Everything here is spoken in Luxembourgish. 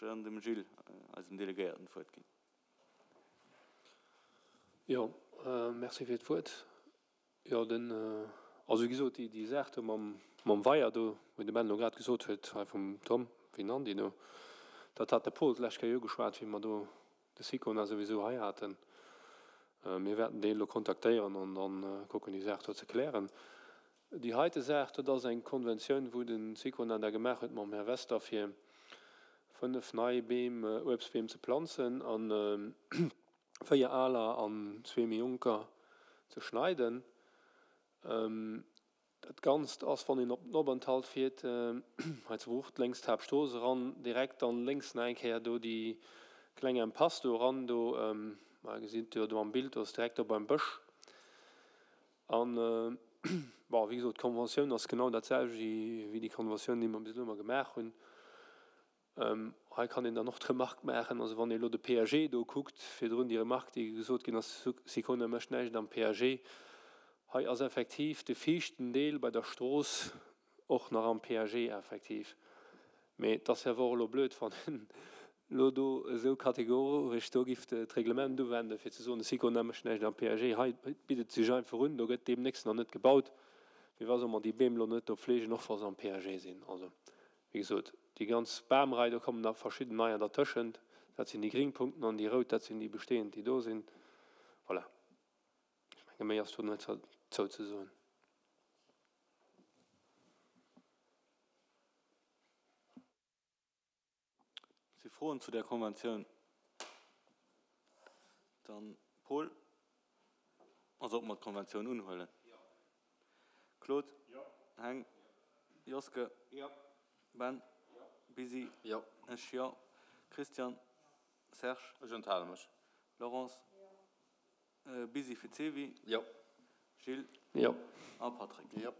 Dann dem Gilles, eisem Delegéierten, d'Wuert ginn. Jo, merci fir d'Wuert. Jo, den, also wéi gesot, déi, déi Saach do mam, mam Weier do, wéi de Ben elo grad gesot huet, hei vum Tom Vinandy do, dat hat de Paul d'lescht Kéier ugeschwat, wéi mer do de Sicona souwisou hei haten. Mir wäerten deen elo kontaktéieren an dann kucken, déi Saach do ze klären. Déi heite Saach, dat ass eng Konventioun, wou de Sicona da gemaach huet mam Här Wester, fir 5 nei Beem, Uebstbeem ze planzen a 4 aler an zwee méi jonker ze schneiden. Dat Ganzt ass, wann een op den Openthalt fiert, hei zu Bruch, lénks d'Haaptstrooss eran, direkt dann lénks nach eng Kéier do déi kleng Impasse do eran, do, ma gesitt jo do am Bild, do ass direkt do beim Bësch. An, bon, wéi gesot, d'Konventioun ass genau dat selwecht wéi déi Konventioun, déi mer bis elo ëmmer gemaach hunn. Hei kann een dann och d'Remark maachen, also wann ee elo de PAG do kuckt, virdrun déi Remark, déi gesot ginn ass, Sicona mécht näischt am PAG. Hei ass effektiv de viischten Deel bei der Strooss och nach am PAG effektiv. Mee et ass jo awer och elo blöd, wann een elo do esou kategoresch do giff d'Reglement uwenden, fir ze soen, de Sicona mécht näischt am PAG. Hei bitt et sech einfach un, do gëtt deemnächst nach net gebaut. Firwat solle mer déi Beem elo net do pflegen, och wa se am PAG sinn? Also, wéi gesot, déi ganz Bamrei, do kommen nach verschidden neier dertëschent. Dat sinn déi gring Punkten an déi rout, dat sinn déi bestehend, déi do sinn. Voilà. Ech menge méi ass do net dozou ze soen. Si Froen zu där Konventioun? Dann Paul. Also ob mer d'Konventioun unhuelen? Claude? Heng? Joske? Ben? Busy? Ech jo. Christian? Serge? Ech enthale mech. Laurence? Busy fir d'Sevi? Jo. Gilles? Jo. A Patrick? Jo.